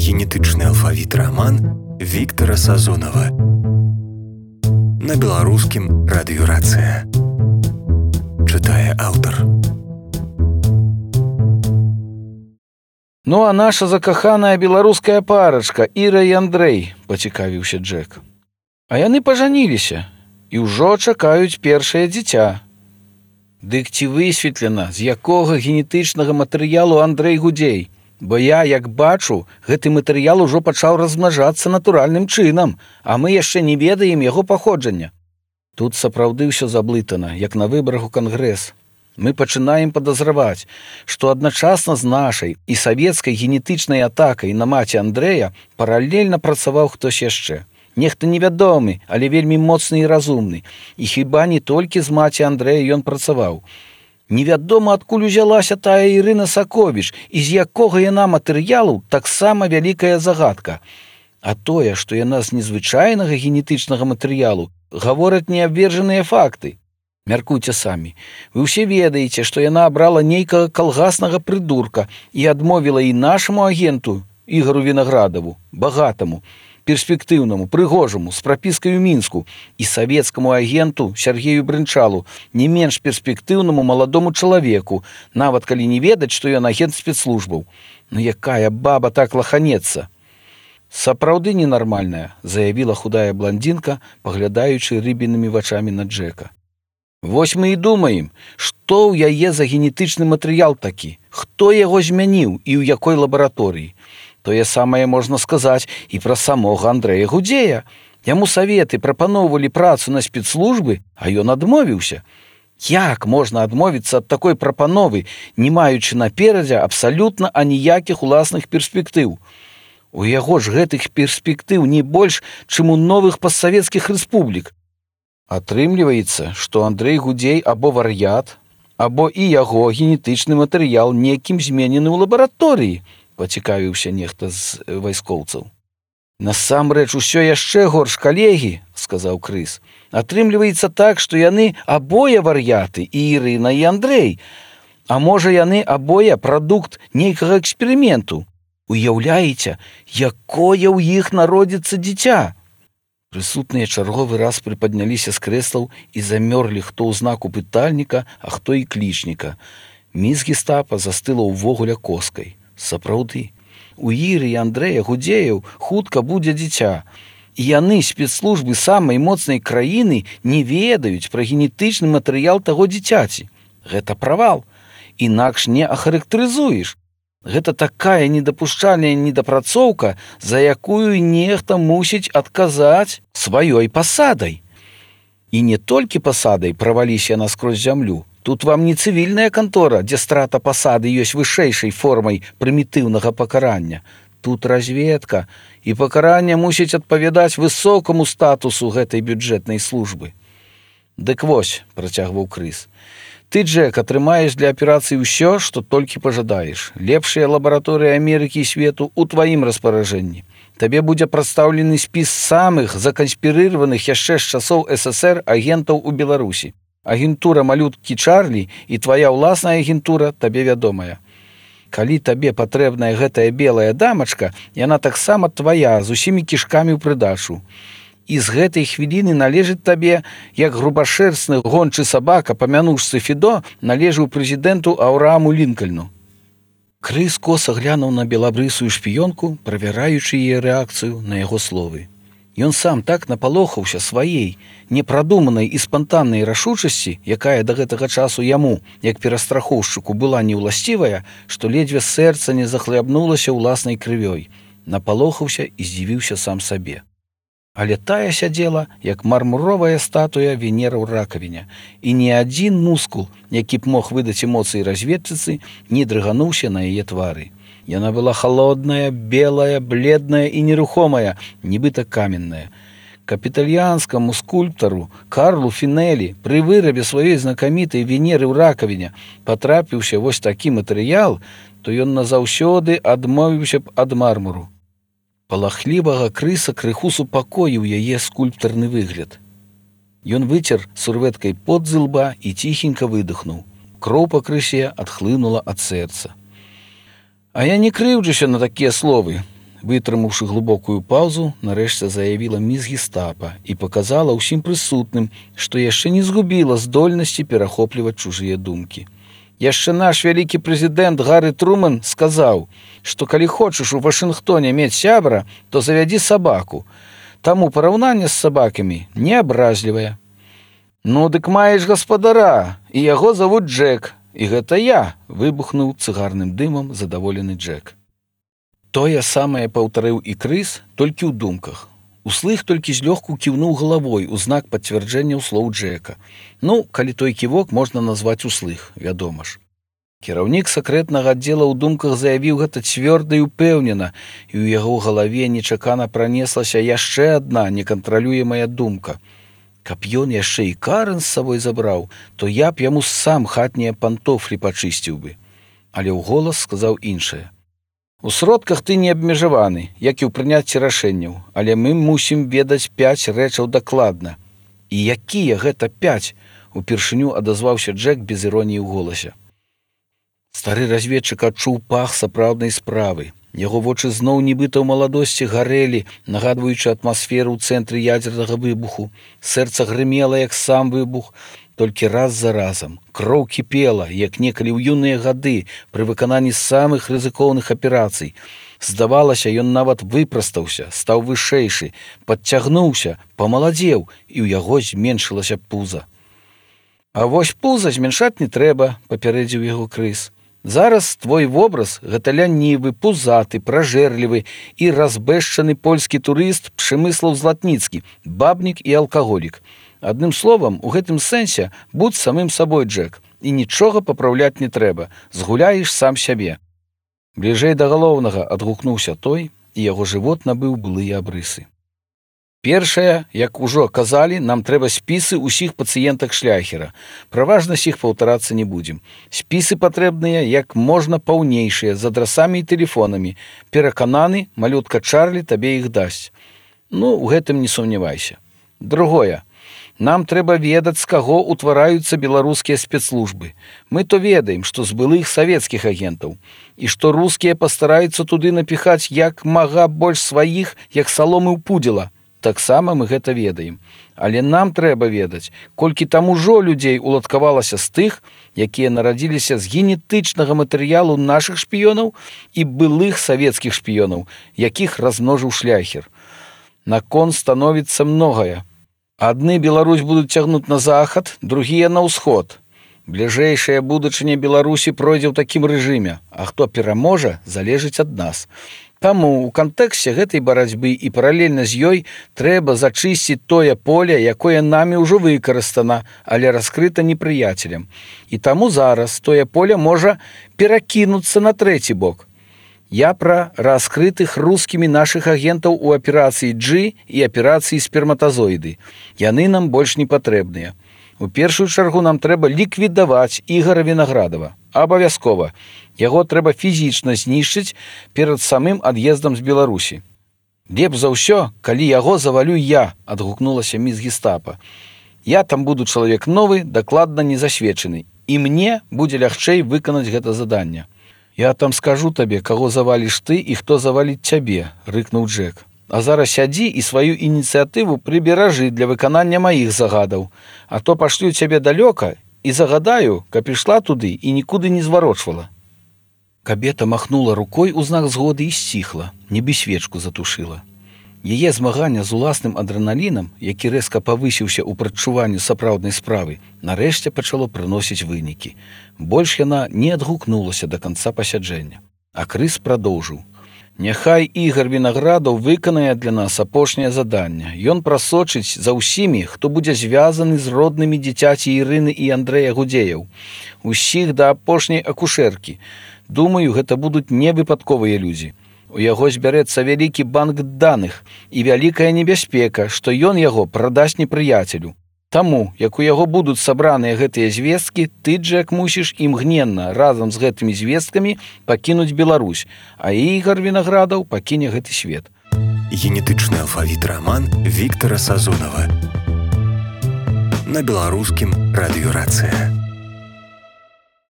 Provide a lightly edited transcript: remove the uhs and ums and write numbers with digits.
генетычны алфавіт раман Віктара Сазонава. На беларускім радыёрацыя. Чытае аўтар. Ну а наша закаханая беларуская парачка Іра і Андрэй, пацікавіўся Джек. А яны пажаніліся і ўжо чакаюць першае дзіця. Дык ці высветлена, з якога генетычнага матэрыялу Андрэй Гудзей? Бо я, як бачу, гэты матэрыял ужо пачаў размнажацца натуральным чынам, а мы яшчэ не ведаем яго паходжання. Тут сапраўды ўсё заблытана, як на выбарах у кангрэс. Мы пачынаем падазраваць, што адначасна з нашай і савецкай генетычнай атакай на маці Андрэя паралельна працаваў хтось яшчэ. Нехта невядомы, але вельмі моцны і разумны. І хіба не толькі з маці Андрэя ён працаваў. Невядома, адкуль узялася тая Ірына Саковіч, і з якога яна матэрыялу таксама вялікая загадка. А тое, што яна з незвычайнага генетычнага матэрыялу, гавораць неабверджаныя факты. Мяркуйце самі. Вы ўсе ведаеце, што яна абрала нейкага калгаснага прыдурка і адмовіла і нашаму агенту Ігару Вінаградаву, багатаму, перспектыўнаму, прыгожаму, з прапіскай у Мінску, і савецкаму агенту Сергею Брынчалу, не менш перспектыўнаму маладому чалавеку, нават калі не ведаць, што ён агент спецслужбаў. Ну якая баба так лаханецца? Сапраўды ненармальная, заявіла худая блондинка, паглядаючы рыбінымі вачамі на Джека. Вось мы і думаем, што ў яе за генетычны матэрыял такі, хто яго змяніў і ў якой лабараторыі. Тое самае можна сказаць і пра самога Андрэя Гудзея. Яму саветы прапаноўвалі працу на спецслужбы, а ён адмовіўся. Як можна адмовіцца ад такой прапановы, не маючы наперадзе абсалютна аніякіх уласных перспектыў? У яго ж гэтых перспектыў не больш, чым у новых постсавецкіх рэспублік. Атрымліваецца, што Андрэй Гудзей або вар'ят, або і яго генетычны матэрыял некім зменены ў лабараторыі, пацікавіўся нехта з вайскоўцаў. Насамрэч усё яшчэ горш, калегі, сказаў Крыс. Атрымліваецца так, што яны абое вар'яты, і Ірына, і Андрэй. А можа яны абое прадукт нейкага эксперыменту. Уяўляеце, якое ў іх народзіцца дзіця? Прысутныя чарговы раз прыпадняліся з крэслаў і замёрлі хто ў знаку пытальніка, а хто і клічніка. Міс Гестапа застыла ўвогуле коскай. Сапраўды, у Іры і Андрэя Гудзеяў хутка будзе дзіця. І яны, спецслужбы самай моцнай краіны, не ведаюць пра генетычны матэрыял таго дзіцяці. Гэта правал. Інакш не ахарактарызуеш. Гэта такая недапушчальная недапрацоўка, за якую нехта мусіць адказаць сваёй пасадай. І не толькі пасадай праваліся наскрозь зямлю. Тут вам не цывільная кантора, дзе страта пасады ёсць вышэйшай формай прымітыўнага пакарання. Тут разведка, і пакаранне мусіць адпавядаць высокаму статусу гэтай бюджэтнай службы. Дык вось, працягваў Крыс, ты, Джек, атрымаеш для аперацыі ўсё, што толькі пажадаеш. Лепшыя лабараторыі Амерыкі і свету ў тваім распаражэнні. Табе будзе прадстаўлены спіс самых заканспірыраваных яшчэ з часоў ССР агентаў у Беларусі. Агентура малюткі Чарлі і твая ўласная агентура табе вядомая. Калі табе патрэбная гэтая белая дамачка, яна таксама твая, з усімі кішкамі ў прыдачу. І з гэтай хвіліны належыць табе, як грубашэрстны гончы сабака па мянушцы Фідо належыў прэзідэнту Аўрааму Лінкальну. Крыс коса глянуў на белабрысую шпіёнку, правяраючы яе рэакцыю на яго словы. Ён сам так напалохаўся сваей, непрадуманай і спантаннай рашучасці, якая да гэтага часу яму, як перастрахоўшчыку, была неўласцівая, што ледзьве сэрца не захлябнулася ўласнай крывёй. Напалохаўся і здзівіўся сам сабе. Але тая сядзела, як мармуровая статуя Венера ў ракавіне, і ні адзін мускул, які б мог выдаць эмоцыі разведчыцы, не дрыгануўся на яе твары. Яна была холодная, белая, бледная і нерухомая, нібыта каменная. Капітальянскаму скульптару Карлу Фінелі пры вырабе сваёй знакамітай Венеры ў ракавіне патрапіўся вось такі матэрыял, то ён назаўсёды адмовіўся б ад мармуру. Палахлівага Крыса крыху супакоіў яе скульптарны выгляд. Ён выцер сурвэткай пот з ілба і ціхенька выдохнуў. Кроў па Крысе адхлынула ад сэрца. А я не крыўджуся на такія словы. вытрымаўшы глыбокую паўзу, нарэшце заявіла міс Гестапа і паказала ўсім прысутным, што яшчэ не згубіла здольнасці перахопліваць чужыя думкі. Яшчэ наш вялікі прэзідэнт Гары Трумэн сказаў, што калі хочаш у Вашынгтоне мець сябра, то завядзі сабаку. Таму параўнанне з сабакамі неабразлівае. Ну, дык маеш гаспадара, і яго завуць Джек. І гэта я, выбухнуў цыгарным дымам задаволены Джек. Тое самае паўтарыў і Крыс, толькі ў думках. Услых толькі злёгку кіўнуў галавой у знак пацвярджэння слоў Джека. Ну, калі той ківок можна назваць услых, вядома ж. Кіраўнік сакрэтнага аддзела ў думках заявіў гэта цвёрда і ўпэўнена, і ў яго галаве нечакана пранеслася яшчэ адна некантралюемая думка. Каб ён яшчэ і Карэн з сабой забраў, то я б яму сам хатнія пантофлі пачысціў бы. Але ўголас сказаў іншае. У сродках ты не абмежаваны, як і ў прыняцці рашэнняў, але мы мусім ведаць 5 рэчаў дакладна. І якія гэта 5? Упершыню адазваўся Джек без іроніі ў голасе. Стары разведчык адчуў пах сапраўднай справы. Яго вочы зноў нібыта ў маладосці гарэлі, нагадваючы атмасферу ў цэнтры ядзернага выбуху. Сэрца грымела, як сам выбух, толькі раз за разам. Кроў кіпела, як некалі ў юныя гады пры выкананні самых рызыкоўных аперацый. Здавалася, ён нават выпрастаўся, стаў вышэйшы, падцягнуўся, памаладзеў, і ў яго зменшылася пуза. А вось пуза зменшаць не трэба, папярэдзіў яго Крыс. Зараз твой вобраз гэта лянівы, пузаты, пражэрлівы і разбэшчаны польскі турыст Пшемыслаў Златніцкі, бабнік і алкаголік. Адным словам, у гэтым сэнсе будь самым сабой, Джек, і нічога папраўляць не трэба, згуляеш сам сябе. Бліжэй да галоўнага адгукнуўся той, і яго жывот набыў былыя абрысы. Першае, як ужо казалі, нам трэба спісы ўсіх пацыентак Шляхера. Пра важнасць іх паўтарацца не будзем. Спісы патрэбныя як можна паўнейшыя, з адрасамі і тэлефонамі. Перакананы, малютка Чарлі табе іх дасць. Ну, у гэтым не сумнявайся. Другое. Нам трэба ведаць, з каго ўтвараюцца беларускія спецслужбы. Мы то ведаем, што з былых савецкіх агентаў, і што рускія пастараюцца туды напіхаць як мага больш сваіх, як саломы ў пудзела. Таксама мы гэта ведаем. Але нам трэба ведаць, колькі там ужо людзей уладкавалася з тых, якія нарадзіліся з генетычнага матэрыялу нашых шпіёнаў і былых савецкіх шпіёнаў, якіх размножыў Шляхер. На кон становіцца многае. Адны Беларусь будуць цягнуць на захад, другія на ўсход. Бліжэйшая будучыня Беларусі пройдзе ў такім рэжыме, а хто пераможа, залежыць ад нас. Таму ў кантэксце гэтай барацьбы і паралельна з ёй трэба зачысціць тое поле, якое намі ўжо выкарыстана, але раскрыта непрыяцелем. І таму зараз тое поле можа перакінуцца на трэці бок. Я пра раскрытых рускімі нашых агентаў у аперацыі G і аперацыі сперматазоіды. Яны нам больш не патрэбныя. У першую чаргу нам трэба ліквідаваць Ігара Вінаградава. Абавязкова. Яго трэба фізічна знішчыць перад самым ад'ездам з Беларусі. Лепш за ўсё, калі яго завалю я, адгукнулася міс Гестапа. Я там буду чалавек новы, дакладна не засведчаны, і мне будзе лягчэй выканаць гэта заданне. Я там скажу табе, каго заваліш ты і хто заваліць цябе, рыкнуў Джек. А зараз сядзі і сваю ініцыятыву прыберажы для выканання маіх загадаў, а то пашлю цябе далёка і загадаю, каб ішла туды і нікуды не зварочвала. Кабета махнула рукой у знак згоды і сціхла, нібы свечку затушыла. Яе змагання з уласным адрэналінам, які рэзка павысіўся ў прадчуванню сапраўднай справы, нарэшце пачало прыносіць вынікі. Больш яна не адгукнулася да канца пасяджэння. А Крыс прадоўжыў. Няхай Ігар Вінаградаў выканае для нас апошняе заданне. Ён прасочыць за ўсімі, хто будзе звязаны з роднымі дзіцяці Ірыны і Андрэя Гудзеяў. Усіх да апошняй акушэркі. Думаю, гэта будуць невыпадковыя людзі. У яго збярэцца вялікі банк даных і вялікая небяспека, што ён яго прадасць непрыяцелю. Таму, як у яго будуць сабраныя гэтыя звесткі, ты, Джек, мусіш імгненна разам з гэтымі звесткамі пакінуць Беларусь, а Ігар Вінаградаў пакіне гэты свет. Генетычны алфавіт раман Віктара Сазонава. На беларускім радыёрацыя.